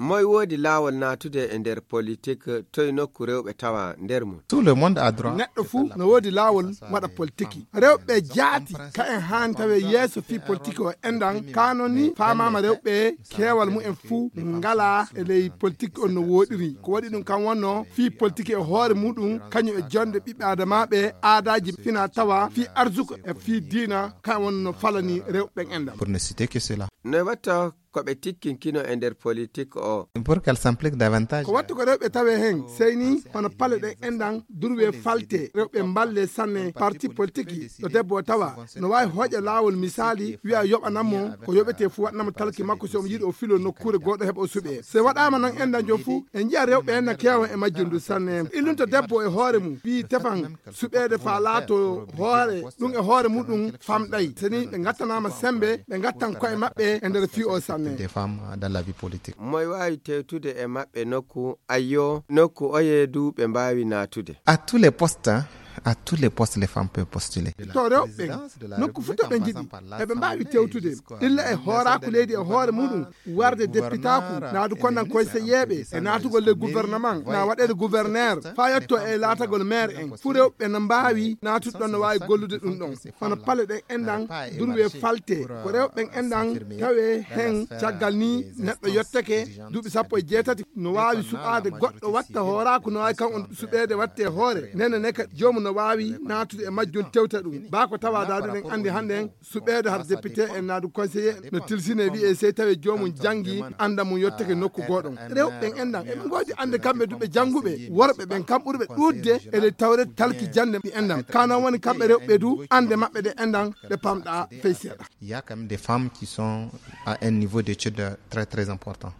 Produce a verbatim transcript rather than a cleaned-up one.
Moy woodi laawol naatude e nder politik? Toy nokku rewɓe tawa nder mum? Tout le monde a droit. Neɗɗo fuu no woodi laawol waɗa politiki. Rewɓe jaati ka en haani tawe yeeso fii politiki o enɗan. Kaano ni faamaama rewɓe keewal mumen fuu ngalaa e ley politiki on no wooɗiri. Ko waɗi ɗum kan wonno fii politiki e hoore muɗum, kañum e jonde ɓiɓɓe adamaaɓe, aadaaji fina tawa fii arsuko e fii diina, kan wonno falani rewɓe ɓen enɗan. Pour ne citer que cela. No watta ko ɓe tikkinkino e nder politik o? Pour qu'elle s'implique davantage. Ko watta ko rewɓe tawe hen, sey ni hono pale ɗen enɗan durwe falte, rewɓe mballe sanne parti politiki. Ɗo debbo o tawa no waawi hoƴa laawol misaali, wi'a yoɓanan mo ko yoɓetee fuu, waɗanamo talki makko, si omo yiɗi o filo nokkuure goɗɗo heɓa o suɓee. Se waɗaama non enɗan jon fuu, en nji'a rewɓe en na keewa e majjum ndu sanne. Illunto debbo e hoore mum, ɓii tefan suɓeede faa laato hoore, ɗum e hoore muɗum famɗay. Seni ɓe ngattanaama sembe, ɓe ngattan ko'e maɓɓe e nder fii o sanne. Des femmes dans la vie politique. Moy waawi tewtude e maɓɓe nokku, ayyo, nokku oye du ɓe mbaawi naatude? À tous les postes, hein, à tous les postes, les femmes peuvent postuler. To rewɓe ɓen, nokku fuu to ɓe njiɗi, eɓe mbaawi tewtude. Illa e hooraaku leydi e hoore muɗum, warde depitaaku, naadu konnan konseyeeɓe, e naatugol le gouvernement, na waɗeede gouverneur, faa yetto e laatagol maire en. Fuu rewɓe no mbaawi naatude ɗon, no waawi gollude ɗum ɗon. Hono pale ɗen enɗan, durwe falte, ko rewɓe ɓen enɗan tawe hen. Caggal ni neɗɗo yottake duuɓi sappo e jeetati, no waawi suɓaade goɗɗo watta hooraaku, no waawi kan on suɓeede watte hoore. Nene ne ka joomum no waawi naatude e majjum tewta ɗum. Baa ko tawa daadu ɗen anndi hannden suɓeede har député en naadu conseiller no tilsine wi'e sey tawi joomum janngi annda mum yottake nokku gooɗon. Rewɓe ɓen enɗan, eɓe ngoodi annde kamɓe du ɓe jannguɓe, worɓe ɓen kam ɓurɓe ɗuuɗde e ley tawreede talki jannde ɗi enɗan. Ka non woni kamɓe rewɓe du annde maɓɓe ɗe enɗan ɗe pamɗaa fey seeɗa. Il y a quand même des femmes qui sont à un niveau d'études très, très important.